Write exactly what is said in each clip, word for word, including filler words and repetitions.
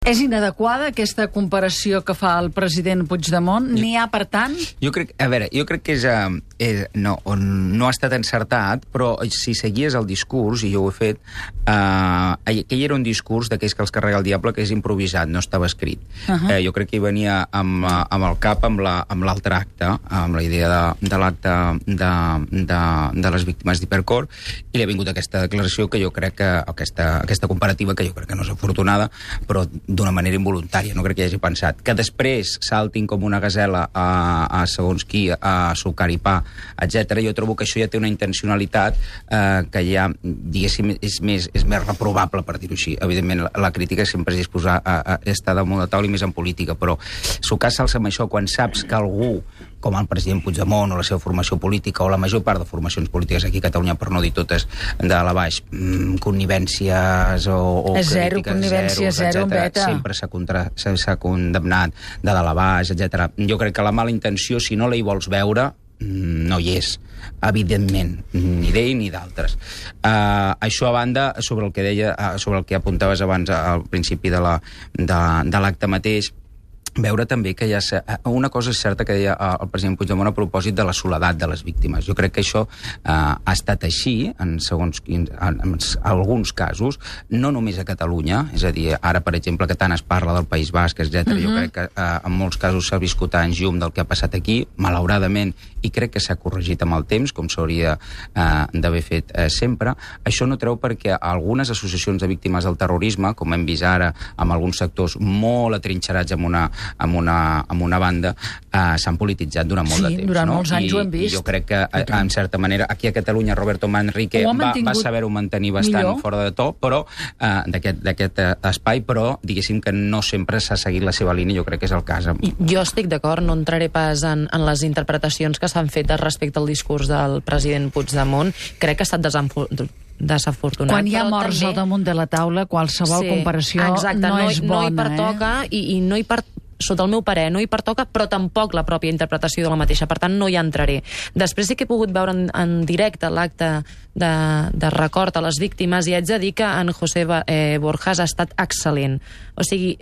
És inadequada aquesta comparació que fa el president Puigdemont? N'hi ha, per tant? Jo crec, a veure, jo crec que és, uh, és no, on no ha estat encertat, però si seguies el discurs, i jo ho he fet, uh, aquell era un discurs d'aquells que els carrega el diable, que és improvisat, no estava escrit. Uh -huh. eh, jo crec que hi venia amb, uh, amb el cap amb l'altre la, acte, amb la idea de, de l'acte de, de, de les víctimes d'Hipercor, i li ha vingut aquesta declaració que jo crec que, aquesta, aquesta comparativa que jo crec que no és afortunada, però d'una manera involuntària, no crec que hi hagi pensat. Que després saltin com una gasela a, a segons qui, a sucar i pa, etcètera. Jo trobo que això ja té una intencionalitat eh, que ja, diguéssim, és més, és més reprovable, per dir-ho així. Evidentment, la, la crítica sempre és disposar a, a estar damunt de taula i més en política, però sucar-se'ls amb això quan saps que algú, com el president Puigdemont o la seva formació política, o la major part de formacions polítiques aquí a Catalunya, per no dir totes de la baix, mmm, connivències o, o zero, crítiques, connivència zero, zero sempre s'ha condemnat de dalt a baix, etcètera. Jo crec que la mala intenció, si no la hi vols veure, no hi és, evidentment, ni d'ell ni d'altres. Uh, això a banda, sobre el que deia, uh, sobre el que apuntaves abans al principi de la, de, de l'acte mateix, veure també que hi ha... Una cosa és certa que deia el president Puigdemont a propòsit de la soledat de les víctimes. Jo crec que això eh, ha estat així en, segons, en, en alguns casos, no només a Catalunya, és a dir, ara, per exemple, que tant es parla del País Basc, etcètera. Uh-huh. Jo crec que eh, en molts casos s'ha viscut anys llum del que ha passat aquí, malauradament, i crec que s'ha corregit amb el temps, com s'hauria eh, d'haver fet eh, sempre. Això no treu perquè algunes associacions de víctimes del terrorisme, com hem vist ara amb alguns sectors molt atrinxerats amb una amb una, amb una banda, eh, s'han polititzat durant molt sí, de temps. Sí, durant no? molts anys I, ho hem vist. I jo crec que, en certa manera, aquí a Catalunya, Roberto Manrique va, va saber-ho mantenir bastant millor. Fora de to, però eh, d'aquest eh, espai, però diguéssim que no sempre s'ha seguit la seva línia, jo crec que és el cas. Amb... Jo estic d'acord, no entraré pas en, en les interpretacions que s'han fet respecte al discurs del president Puigdemont. Crec que ha estat desenvolupat desafortunat. Quan hi ha morts també... al damunt de la taula, qualsevol sí, comparació exacte, no, no és bona. No hi pertoca, eh? i, i no hi per... sota el meu parer, no hi pertoca, però tampoc la pròpia interpretació de la mateixa. Per tant, no hi entraré. Després sí que he pogut veure en, en directe l'acte de, de record a les víctimes i haig de dir que en José eh, Borjas ha estat excel·lent. O sigui,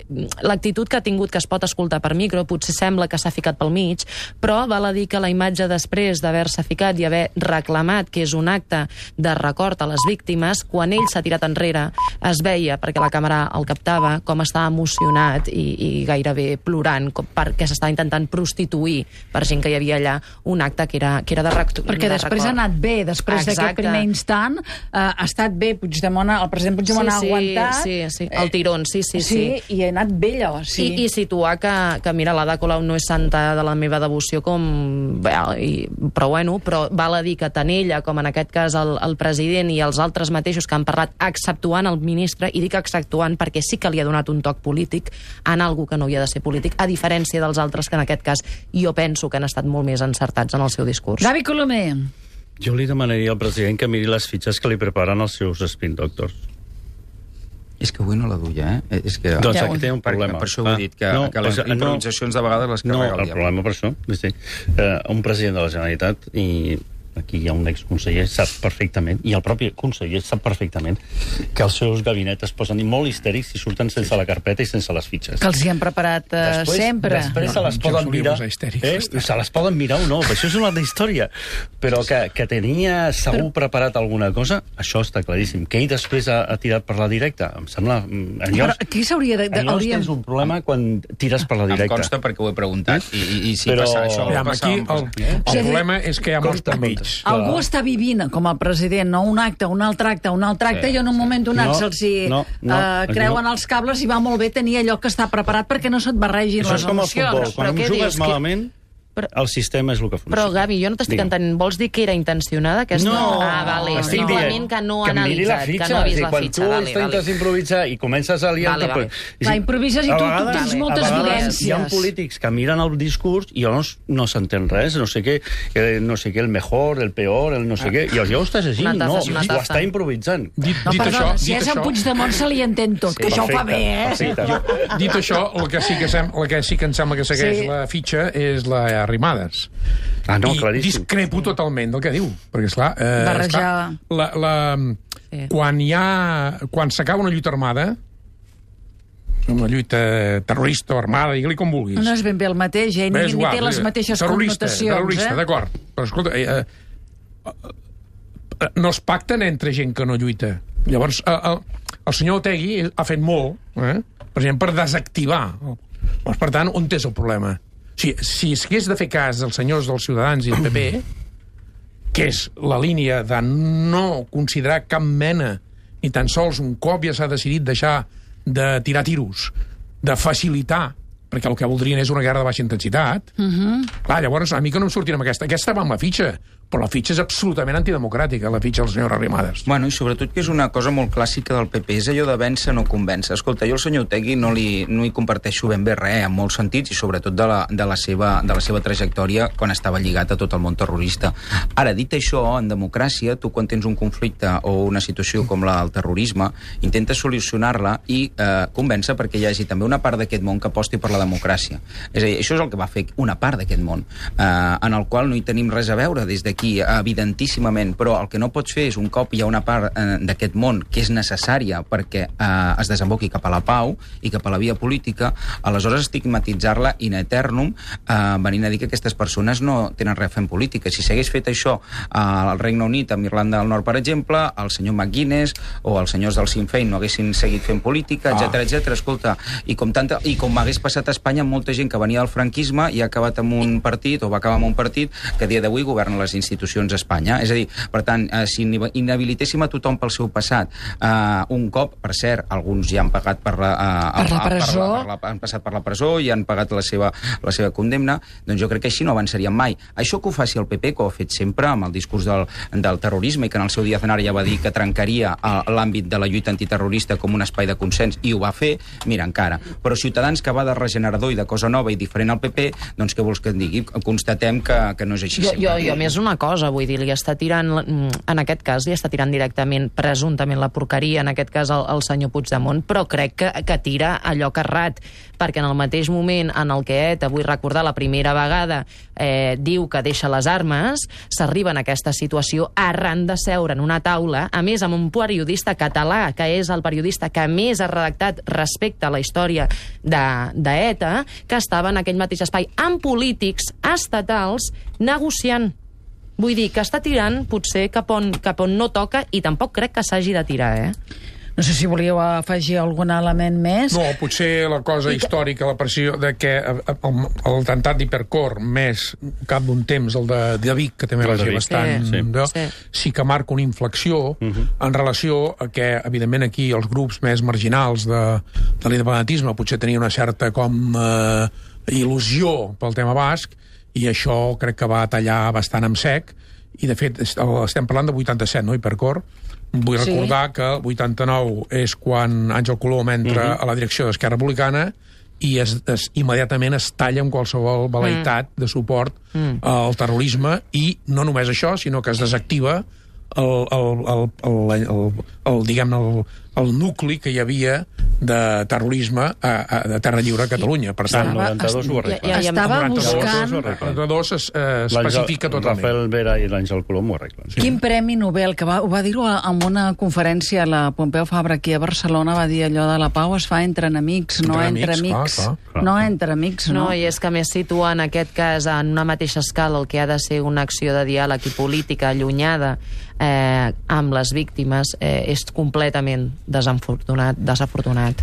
l'actitud que ha tingut, que es pot escoltar per micro, potser sembla que s'ha ficat pel mig, però val a dir que la imatge després d'haver-se ficat i haver reclamat que és un acte de record a les víctimes, quan ell s'ha tirat enrere, es veia, perquè la càmera el captava, com estava emocionat i, i gairebé plorant, perquè s'estava intentant prostituir per gent que hi havia allà un acte que era, que era de, rec perquè de després record. Ha anat bé, després d'aquest primer instant, eh, ha estat bé, Puigdemont, el president Puigdemont sí, ha aguantat. Sí, sí, el tirón, sí, sí, sí. Sí, i ha anat bé allò, sí. I, i situar que, que mira, l'Ada Colau no és santa de la meva devoció com... Bé, i, però bueno, però val a dir que tant ella com en aquest cas el, el president i els altres mateixos que han parlat exceptuant el ministre, i dic exceptuant perquè sí que li ha donat un toc polític en algú que no havia de ser polític, a diferència dels altres que en aquest cas jo penso que han estat molt més encertats en el seu discurs. Gavi Colomer. Jo li demanaria al president que miri les fitxes que li preparen els seus spin doctors. És que avui no la duia, eh? És que... Doncs aquí té un problema. Per això ho he dit, que, no, que les pues, improvisacions de vegades les carrega no, el diable. No, el problema per això, sí, uh, un president de la Generalitat, i aquí hi ha un exconseller, sap perfectament, i el propi conseller sap perfectament, que els seus gabinets es posen molt histèrics i surten sense la carpeta i sense les fitxes. Que els hi han preparat uh, després, sempre. Després no, se les poden mirar, eh? se les poden mirar o no, això és una altra història. Però que, que tenia segur però... preparat alguna cosa, això està claríssim. Que ell després ha, ha tirat per la directa, em sembla... Enllocs, però qui s'hauria de... de enllocs hauríem... tens un problema quan tires per la directa. Em consta perquè ho he preguntat, i, i, i si però... passa això... Ja, aquí el, el, el problema és que hi ha molts enmig. Algú està vivint com el president, no? Un acte, un altre acte, un altre acte, sí, i en un moment donat no, se'ls no, no, uh, creuen no. els cables i va molt bé tenir allò que està preparat perquè no se't barregin això les emocions. Això és com el futbol, quan jugues malament... Però, el sistema és el que funciona. Però, Gavi, jo no t'estic entenent. Vols dir que era intencionada? Aquesta... No, ah, vale. estic dient que no ha que analitzat, fitxa, que no ha vist la quan fitxa. Quan tu vale, intentes vale. improvisar i comences a liar... Vale, vale. La improvises i tu, tu tens moltes a vivències. Hi ha polítics que miren el discurs i llavors no s'entén res, no sé què, no sé què, el mejor, el peor, el no sé què, i llavors estàs així, no, ho està improvisant. Dit, no, dit perdó, això, si és en Puigdemont se li entén tot, que això ho fa bé, eh? Dit això, el que sí que, sem el que sí que em sembla que segueix la fitxa és la Arrimadas. Ah, no, I claríssim. discrepo totalment del que diu, perquè, esclar, eh, barrejar... la, la, sí. quan hi ha... quan s'acaba una lluita armada, una lluita terrorista o armada, digue-li com vulguis. No és ben bé el mateix, eh? Ni, ni té les mateixes terrorista, connotacions. Terrorista, eh? d'acord. Però escolta, eh, eh, no es pacten entre gent que no lluita. Llavors, eh, el, el senyor Otegi ha fet molt, eh? per exemple, per desactivar. Llavors, per tant, on és el problema? O sigui, si es hagués de fer cas dels senyors dels Ciutadans i el P P, que és la línia de no considerar cap mena, ni tan sols un cop ja s'ha decidit deixar de tirar tiros, de facilitar, perquè el que voldrien és una guerra de baixa intensitat. Uh-huh. Clar, llavors, a mi que no em sortirà amb aquesta. Aquesta va amb la fitxa, però la fitxa és absolutament antidemocràtica, la fitxa del senyor Arrimadas. Bueno, i sobretot que és una cosa molt clàssica del P P, és allò de vèncer no convèncer. Escolta, jo el senyor Otegi no li, no hi comparteixo ben bé res, en molts sentits, i sobretot de la, de, la seva, de la seva trajectòria quan estava lligat a tot el món terrorista. Ara, dit això, en democràcia, tu quan tens un conflicte o una situació com la del terrorisme, intentes solucionar-la i eh, convèncer perquè hi hagi també una part d'aquest món que aposti per la democràcia. És a dir, això és el que va fer una part d'aquest món, eh, en el qual no hi tenim res a veure des d'aquí, evidentíssimament, però el que no pots fer és un cop hi ha una part eh, d'aquest món que és necessària perquè eh, es desemboqui cap a la pau i cap a la via política, aleshores estigmatitzar-la in eternum, eh, venint a dir que aquestes persones no tenen res a fer en política. Si s'hagués fet això eh, al Regne Unit, amb Irlanda del Nord, per exemple, el senyor McGuinness o els senyors del Sinn Féin no haguessin seguit fent política, etcètera, ah. etcètera. Escolta, i com, tanta, i com hagués passat a Espanya amb molta gent que venia del franquisme i ha acabat amb un partit, o va acabar amb un partit, que a dia d'avui governa les institucions a Espanya. És a dir, per tant, eh, si inhabilitéssim a tothom pel seu passat, eh, un cop, per cert, alguns ja han pagat per la, eh, per la presó, per la, per la, han passat per la presó i han pagat la seva, la seva condemna, doncs jo crec que així no avançaríem mai. Això que ho faci el P P, que ho ha fet sempre amb el discurs del, del terrorisme, i que en el seu dia Aznar ja va dir que trencaria l'àmbit de la lluita antiterrorista com un espai de consens, i ho va fer, mira, encara. Però Ciutadans, que va de regenerador i de cosa nova i diferent al P P, doncs què vols que et digui? Constatem que, que no és així. Jo, jo, jo més una cosa, vull dir, li està tirant, en aquest cas, li està tirant directament, presumptament, la porqueria, en aquest cas el, el senyor Puigdemont, però crec que, que tira allò carrat, perquè en el mateix moment en el que ETA, vull recordar, la primera vegada eh, diu que deixa les armes, s'arriba en aquesta situació arran de seure en una taula, a més amb un periodista català, que és el periodista que més ha redactat respecte a la història d'ETA, que estava en aquell mateix espai amb polítics estatals negociant. Vull dir que està tirant potser cap on, cap on no toca, i tampoc crec que s'hagi de tirar, eh? No sé si volíeu afegir algun element més. No, potser la cosa històrica, la pressió de que l'atemptat d'Hipercor, més cap d'un temps el de, de Vic, que també va ser bastant... Sí, de, sí. sí que marca una inflexió uh-huh. en relació a que, evidentment, aquí els grups més marginals de, de l'independentisme potser tenien una certa com eh, il·lusió pel tema basc, i això crec que va tallar bastant amb sec, i de fet estem parlant de vuitanta-set, no, Hipercor? Vull sí. recordar que el vuitanta-nou és quan Àngel Colom entra uh-huh. a la direcció d'Esquerra Republicana i es, es, immediatament es talla amb qualsevol velaitat mm. de suport mm. al terrorisme, i no només això, sinó que es desactiva el, el, el, el, el, el, el, diguem, el, el nucli que hi havia de terrorisme a, a, de Terra Lliure a Catalunya. Per tant, el noranta-dos ho arregla. Ja, ja, estava buscant... El noranta-dos es eh, especifica totalment. Rafael Vera i l'Àngel Colom ho arreglen. Sí. Quin premi Nobel, que va, ho va dir-ho en una conferència a la Pompeu Fabra aquí a Barcelona, va dir allò de la pau es fa entre enemics, no entre amics. Clar, clar. No entre amics, no. No, i és que més situa en aquest cas en una mateixa escala el que ha de ser una acció de diàleg i política allunyada eh, amb les víctimes eh, és completament desafortunat, desafortunat.